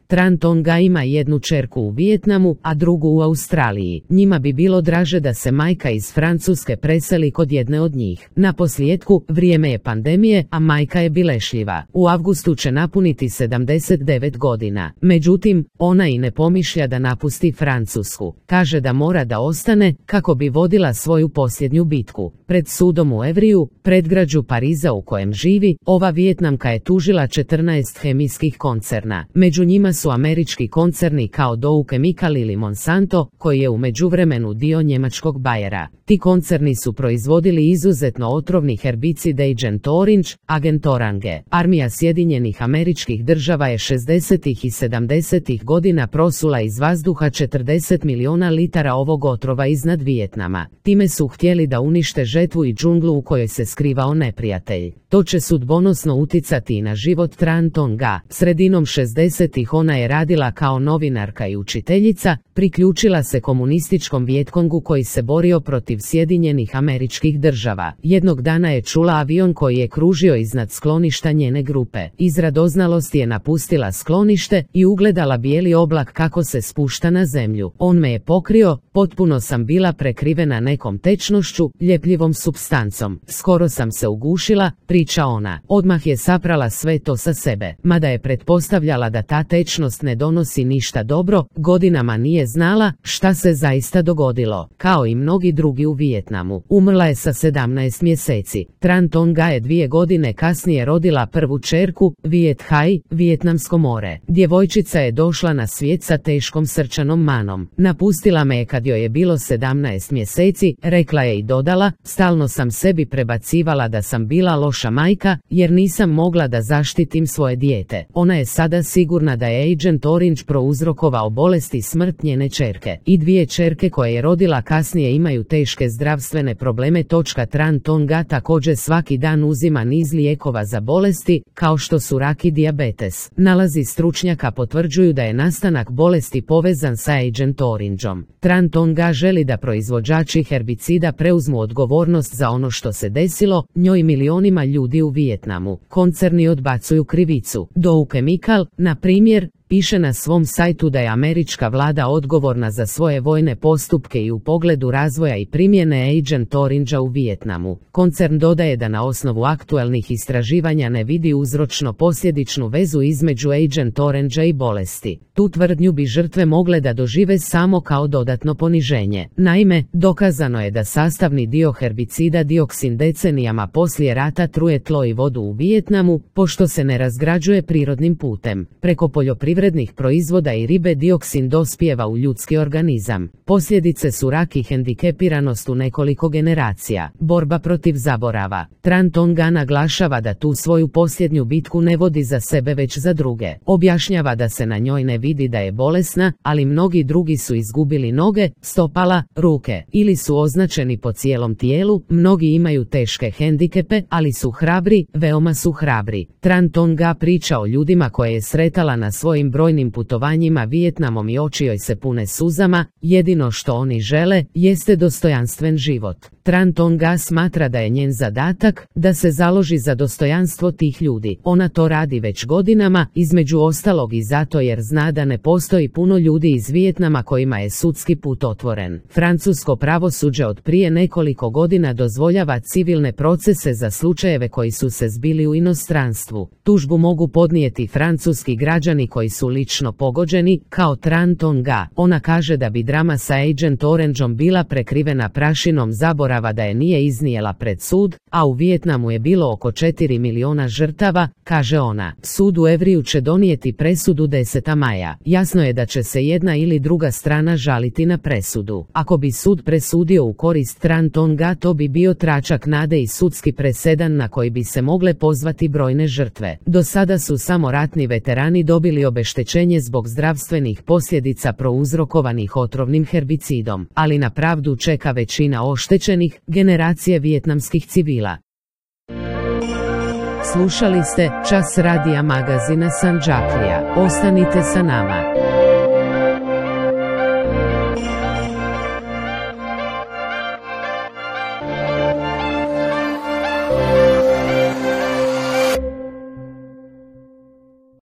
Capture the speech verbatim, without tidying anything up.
Tran Ton Ga ima jednu ćerku u Vijetnamu, a drugu u Australiji. Njima bi bilo draže da se majka iz Francuske preseli kod jedne od njih. Naposljetku, vrijeme je pandemije, a majka je bilešljiva. U avgustu će napuniti sedamdeset devet godina. Međutim, ona i ne pomišlja da napusti Francusku. Kaže da mora da ostane kako bi vodila svoju posljednju bitku. Pred sudom u Evriju, predgrađu Pariza u kojem živi, ova Vijetnamka je tužila četrnaest hemijskih koncerna. Među njima su američki koncerni kao Dow Chemical ili Monsanto, koji je u međuvremenu dio njemačkog Bayera. Ti koncerni su proizvodili izuzetno otrovni herbicid Agent Orange, Agent Orange. Armija Sjedinjenih Američkih Država je šezdesetih i sedamdesetih godina prosula iz vazduha četrdeset miliona litara ovog otrova iznad Vijetnama. Time su htjeli da unište žetvu i džunglu u kojoj se skrivao neprijatelj. To će sudbonosno uticati i na život Tran Ton Ga. Sredinom šezdesetih ona je radila kao novinarka i učiteljica, priključila se komunističkom Vijetkongu koji se borio protiv Sjedinjenih Američkih Država. Jednog dana je čula avion koji je kružio iznad skloništa njene grupe. Iz radoznalosti je napustila sklonište i ugledala bijeli oblak kako se spušta na zemlju. On me je pokrio, potpuno sam bila prekrivena nekom tečnošću, ljepljivom supstancom. Skoro sam se ugušila, priča ona. Odmah je saprala sve to sa sebe. Mada je pretpostavljala da ta tečnost ne donosi ništa dobro, godinama nije znala šta se zaista dogodilo. Kao i mnogi drugi u Vijetnamu. Umrla je sa sedamnaest mjeseci. Tran Ton Ga je dvije godine kasnije rodila prvu ćerku, Viet Hai, Vijetnamsko more. Djevojčica je došla na svijet sa teškom srčanom manom. Napustila me je kad joj je bilo sedamnaest mjeseci, rekla je i dodala, stalno sam sebi prebacivala da sam bila loša majka, jer nisam mogla da zaštitim svoje dijete. Ona je sada sigurna da je Agent Orange prouzrokovao bolest i smrt njene ćerke. I dvije ćerke koje je rodila kasnije imaju teške zdravstvene probleme. Tran Ton Ga također svaki dan uzima niz lijekova za bolesti, kao što su rak i dijabetes. Nalazi stručnjaka potvrđuju da je nastanak bolesti povezan sa Agent Orangeom. Tran Ton Ga želi da proizvođači herbicida preuzmu odgovornost za ono što se desilo njoj i milionima ljudi u Vijetnamu. Koncerni odbacuju krivicu. Dow Chemical, na primjer, piše na svom sajtu da je američka vlada odgovorna za svoje vojne postupke i u pogledu razvoja i primjene Agent Orangea u Vijetnamu. Koncern dodaje da na osnovu aktualnih istraživanja ne vidi uzročno-posljedičnu vezu između Agent Orangea i bolesti. Tu tvrdnju bi žrtve mogle da dožive samo kao dodatno poniženje. Naime, dokazano je da sastavni dio herbicida dioksin decenijama poslije rata truje tlo i vodu u Vijetnamu, pošto se ne razgrađuje prirodnim putem. Preko poljoprivrednih proizvoda i ribe dioksin dospijeva u ljudski organizam. Posljedice su rak i hendikepiranost u nekoliko generacija. Borba protiv zaborava. Tran Ton Ga naglašava da tu svoju posljednju bitku ne vodi za sebe već za druge. Objašnjava da se na njoj ne vidi da je bolesna, ali mnogi drugi su izgubili noge, stopala, ruke ili su označeni po cijelom tijelu. Mnogi imaju teške hendikepe, ali su hrabri, veoma su hrabri. Tran Ton Ga priča o ljudima koje je sretala na svojim brojnim putovanjima Vijetnamom i oči joj se pune suzama. Jedino što oni žele jeste dostojanstven život. Tran Ton Ga smatra da je njen zadatak da se založi za dostojanstvo tih ljudi. Ona to radi već godinama, između ostalog i zato jer zna da ne postoji puno ljudi iz Vijetnama kojima je sudski put otvoren. Francusko pravosuđe od prije nekoliko godina dozvoljava civilne procese za slučajeve koji su se zbili u inostranstvu. Tužbu mogu podnijeti francuski građani koji su lično pogođeni, kao Tran Ton Ga. Ona kaže da bi drama sa Agent Orangeom bila prekrivena prašinom zaborava da je nije iznijela pred sud, a u Vijetnamu je bilo oko četiri miliona žrtava, kaže ona. Sud u Evriju će donijeti presudu desetog maja. Jasno je da će se jedna ili druga strana žaliti na presudu. Ako bi sud presudio u korist Tran Ton Ga, to bi bio tračak nade i sudski presedan na koji bi se mogle pozvati brojne žrtve. Do sada su samo ratni veterani dobili obeštećenje zbog zdravstvenih posljedica prouzrokovanih otrovnim herbicidom, ali na pravdu čeka većina oštećenih, generacije vijetnamskih civila. Slušali ste Čas radija magazina Sandžaklija. Ostanite sa nama.